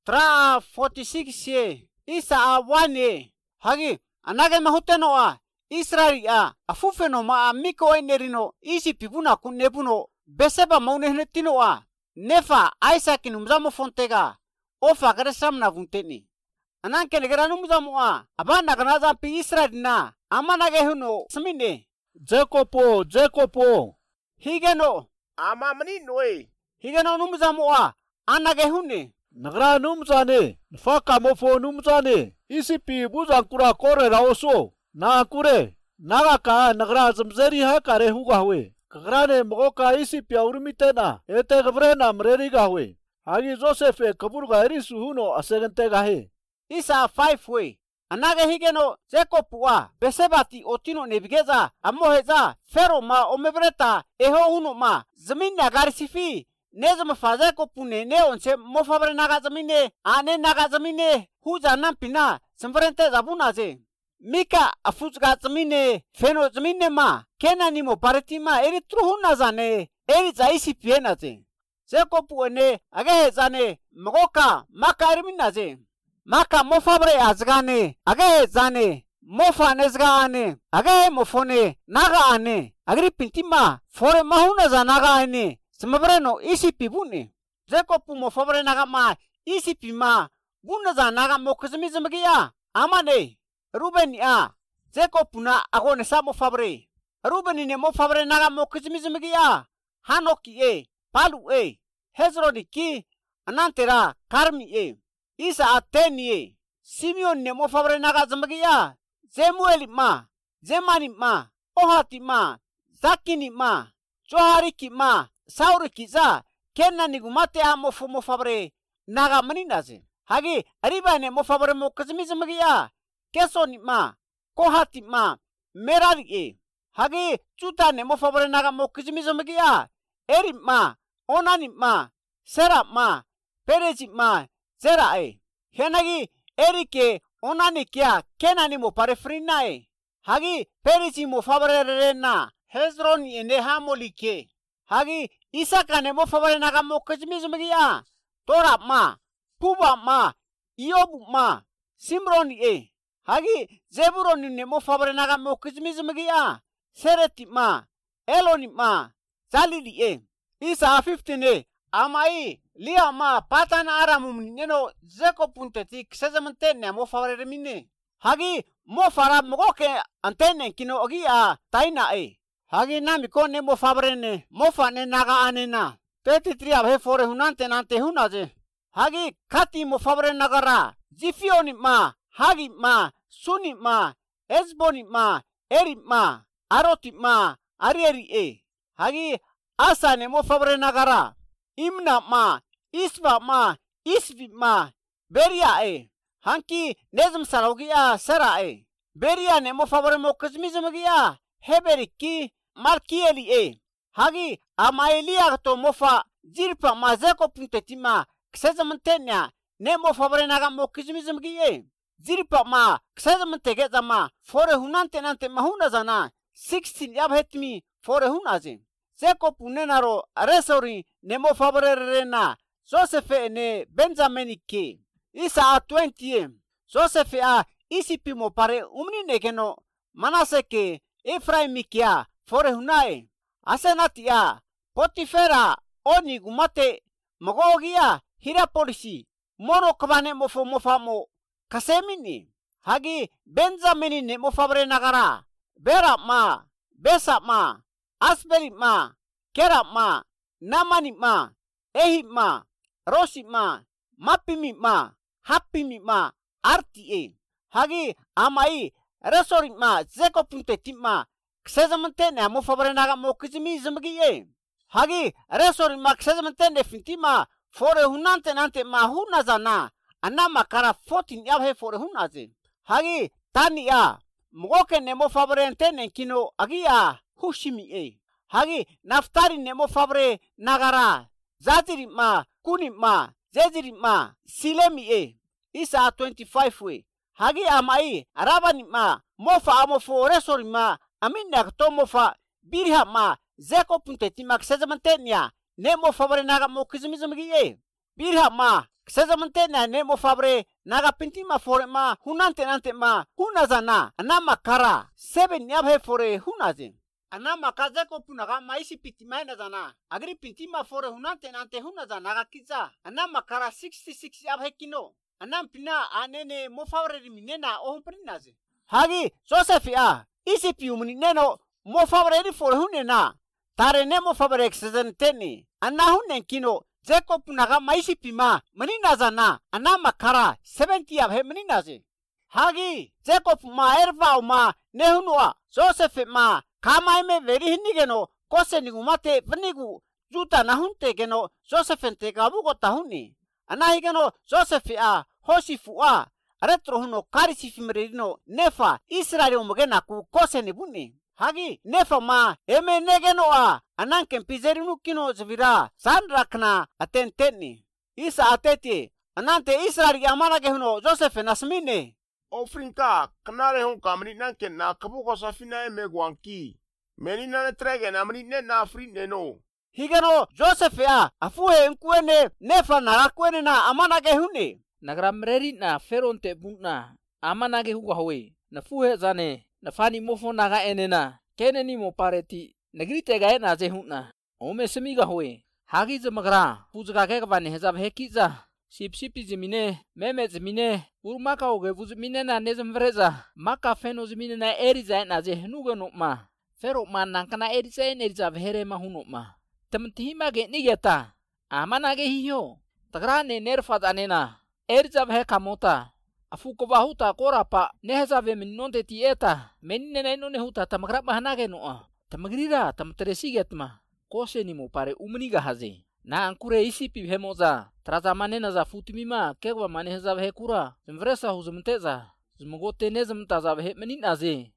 tra 46 ye isa 1 ye hagi anage mahuteno Israel afufeno ma miko enerino isi pibuna kunebuno beseba maunehnetino nefa Isaac numzamo fontega ofa garesam na vunteni anan kenegera numzamo abana ganaza pi Israel na amanage huno smine Jacopo higeno amamni noe higeno numzamo anage hune nagra numzane faka mofo numzane isipi buzankura kore raoso na kure naga ka nagra zamzeri ha kare huga huwe kagrane moka isipi aurmitena ete gabrena mreri ga huwe hagi Joseph kabur ga erisu huno asegente ga he isa 5 we anage higeno Jacob besebati otino nebigeza amoheza fero ma omebreta eho huno ma zamin nagarisifi nezam faza ko pune ne onse mofabre naga zamine ane naga zamine huja nampina sembrente zabuna ze mika afuzga zamine feno zamine ma kenani mo partima eri truhuna zane eri zaisi piena ze ko puene age zane mogoka makarimina ze maka mofabre azgane age zane mofa nezgane age mofone naga ane agri pintima fore mahuna za naga ane smabreno isi pibune Jacob mo fabre naga ma isi pima buna za naga mo kuzmizmgiya amane Ruben Jacob na agone samo fabre Ruben ne mo fabre naga mo kuzmizmgiya Hanoki Palu Hezroni ki anantera Karmi Isa ateni Simeon ne mo fabre naga zmgiya Zemuel Zemani Ohati Zakini Johariki Sauri kiza kenna nigumate mo fabre naga maninaze hagi ariba ne mo fabre mo kazmizmgiya kesoni kohati merari hagi chuta ne mo fabre naga mo kazmizmgiya eri onani sera perezi zera henagi erike onani kya kenani mo pare frina hagi perezi mo fabre rena Hezron ene hamolike hagi Isaka ne mo fabre naga mo kazmizmgiya Tora Puba Iobu Simron hagi Zebulon ne mo fabre naga mo kazmizmgiya Sereti Eloni Zalili Isa 15 amai lia patan aramum neno Jacob punteti ksezamante ne mo fabre remine hagi mo fara mogoke antene kino ogia taina hagi nami konne mo fabre ne mo fane naga anena 33 abhe fore hunante nante hunaze hagi kati mo fabre nagara Zifioni hagi Suni Esboni Eri Aroti Arieri hagi asa ne mo fabre nagara Imna Isba Isvi Beria hanki nezm salogia sera Beria ne mo fabre mo kazmizmgiya Heberiki Markieli hagi amaelia to mofa jirpa Zeko puntetima ksezamantenya ne mo fabre naga mo kizmizmgiye jirpa ksezamantege zama fore hunante nante mahuna zana 16 yabhetmi fore hunaze Zeko punenaro resori ne mo fabre rena Joseph ne Benjaminike Isa 20 Joseph isipi mo pare umni negeno Manaseke Efraimikia fore hunae asenatia Potifera oni gumate magogia hirapolisi mono kabane mofamo kasemini hagi Benjamini ne mo fabre nagara Bera Besa Asberi Kera Namani Ehi Rosi Mapimi Hapimi Arti hagi amai resori Zeko puntetima ksezamante ne mo fabre naga mo kizmizmgiye hagi resori ksezamante ne fintima fore hunante nante huna zana anama kara 14 yabhe fore hunaze hagi tania mogoke ne mo fabre ntene kino agia hushimi hagi naftari ne mo fabre nagara Zaziri Kuni Zeziri Silemi Isa 25 hagi amai arabani mofa amofo resori aminak to mofa birha Zeko punteti ksezamantenya ne mo fabre naga mo kizmizmgiye birha ma ksezamente na ne mo fabre naga pinti ma fore ma hunante nante ma hunazana anama kara 7 yabhe fore hunazin anama kaze ko punaga maisi pitimai na zana agri pinti ma fore hunante nante hunazana naga kiza anama kara 66 yabhe kino anam pina anene mo fabre minena ohun prinaze hagi Joseph a isi piumni neno mo fabre ri fore hunena tare ne mo fabre ksezenteni anahunen kino Jacob naga maisi pima menina zana anama kara 70 yabhe menina ze hagi Jacob ma erva ma nehunua Joseph ma kamai me veri hinigeno kose nigumate venigu juta nahunte geno Joseph ente gabu go tahuni anahigeno Joseph a hosifu a retro huno karisi fimrino nefa Israel umgena ku kose nibuni hagi nefa ma eme negeno a ananken pizerinu kino zvira sanrakna atenteni isa ateti anante Israel amana gehuno Joseph nasmine Ofrinka kanare hon kamni nanken na kabu ko safina me gwanki menina ne trege na mni ne na frine no higeno Joseph a afuhe nkuene nefa na kwene na amana gehuni nagramreri na feronte bunna amana ge huwa howe na fuhe zane na fani mofo naga enena keneni mo pareti nagrite ga na je hunna ome semiga howe hagi zamagra puzga ke bane hezab hekiza sipsipi zimine meme zimine urmaka oge vuzmine na nezmvreza maka feno zimine na eriza na je nuga no ma fero man nankana eriza eriza vhere ma huno ma tamtihima ge nigeta amana ge hiyo tagrane nerfad anena eriza vhe kamota afuko bahuta korapa nehzave minnonte tieta menine no nehuta tamagra bahanage no tamagrira tamtresigetma kose ni mo pare umniga haze na ankure isi pi hemoza traza manena za futimima kegwa manehza vhe kura zmvresa huzmteza zmgote nezmta za vhe meninaze